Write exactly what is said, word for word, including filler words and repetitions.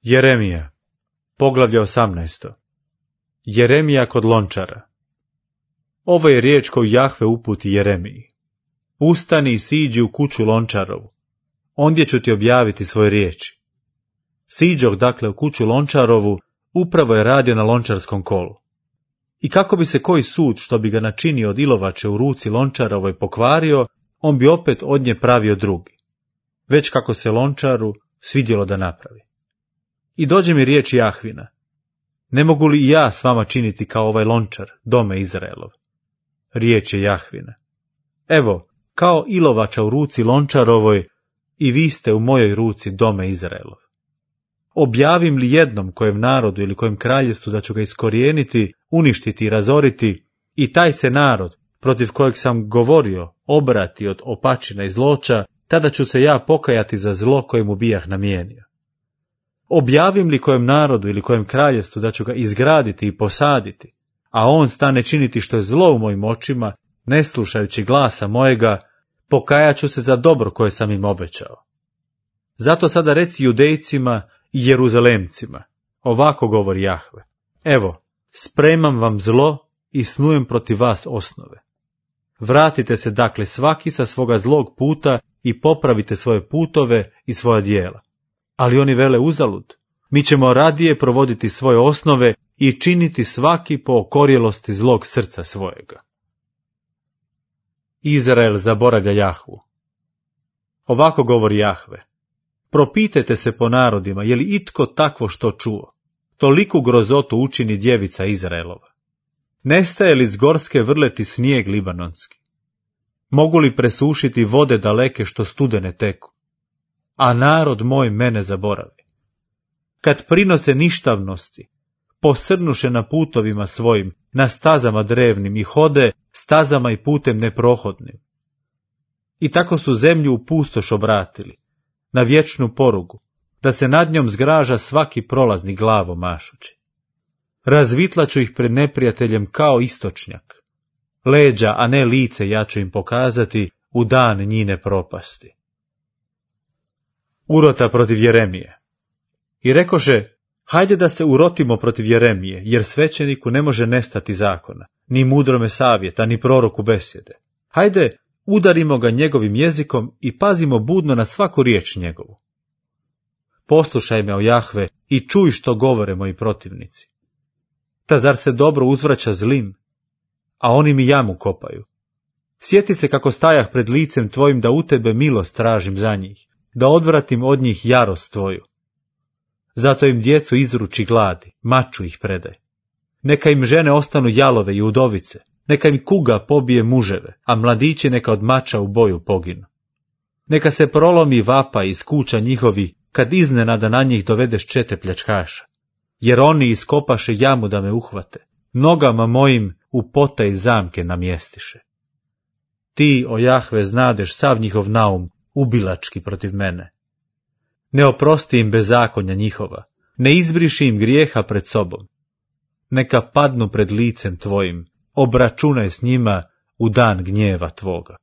Jeremija, poglavlje osamnaesto. Jeremija kod lončara. Ovo je riječ koju Jahve uputi Jeremiji. Ustani i siđi u kuću lončarovu, ondje ću ti objaviti svoje riječi. Siđoh dakle u kuću lončarovu, upravo je radio na lončarskom kolu. I kako bi se koji sud što bi ga načinio od ilovače u ruci lončarovoj pokvario, on bi opet od nje pravio drugi. Već kako se lončaru svidjelo da napravi. I dođe mi riječ Jahvina. Ne mogu li i ja s vama činiti kao ovaj lončar, dome Izraelov? Riječ je Jahvina. Evo, kao ilovača u ruci lončarovoj, i vi ste u mojoj ruci, dome Izraelov. Objavim li jednom kojem narodu ili kojem kraljevstvu da ću ga iskorijeniti, uništiti i razoriti, i taj se narod, protiv kojeg sam govorio, obrati od opačina i zloća, tada ću se ja pokajati za zlo koje mu bijah namijenio. Objavim li kojem narodu ili kojem kraljevstvu da ću ga izgraditi i posaditi, a on stane činiti što je zlo u mojim očima, ne slušajući glasa mojega, pokajat ću se za dobro koje sam im obećao. Zato sada reci Judejcima i Jeruzalemcima, ovako govori Jahve. Evo, spremam vam zlo i snujem protiv vas osnove. Vratite se dakle svaki sa svoga zlog puta i popravite svoje putove i svoja djela. Ali oni vele uzalud, mi ćemo radije provoditi svoje osnove i činiti svaki po okorjelosti zlog srca svojega. Izrael zaboravlja Jahvu. Ovako govori Jahve. Propitajte se po narodima, je li itko takvo što čuo? Toliku grozotu učini djevica Izraelova. Nestaje li s gorske vrleti snijeg libanonski? Mogu li presušiti vode daleke što studene teku? A narod moj mene zaboravi. Kad prinose ništavnosti, posrnuše na putovima svojim, na stazama drevnim i hode stazama i putem neprohodnim. I tako su zemlju u pustoš obratili, na vječnu porugu, da se nad njom zgraža svaki prolazni glavo mašući. Razvitlaću ih pred neprijateljem kao istočnjak. Leđa, a ne lice ja ću im pokazati u dan njine propasti. Urota protiv Jeremije. I rekoše, hajde da se urotimo protiv Jeremije, jer svećeniku ne može nestati zakona, ni mudrome savjeta, ni proroku besjede. Hajde, udarimo ga njegovim jezikom i pazimo budno na svaku riječ njegovu. Poslušaj me, o Jahve, i čuj što govore moji protivnici. Ta zar se dobro uzvraća zlim, a oni mi jamu kopaju? Sjeti se kako stajah pred licem tvojim da u tebe milost tražim za njih, da odvratim od njih jarost tvoju. Zato im djecu izruči gladi, maču ih predaj. Neka im žene ostanu jalove i udovice, neka im kuga pobije muževe, a mladići neka od mača u boju poginu. Neka se prolomi vapa iz kuća njihovi, kad iznenada na njih dovedeš čete pljačkaša, jer oni iskopaše jamu da me uhvate, nogama mojim u potaj zamke namjestiše. Ti, o Jahve, znadeš sav njihov naum, ubilački protiv mene. Ne oprosti im bezakonja njihova, ne izbriši im grijeha pred sobom. Neka padnu pred licem tvojim, obračunaj s njima u dan gnjeva tvoga.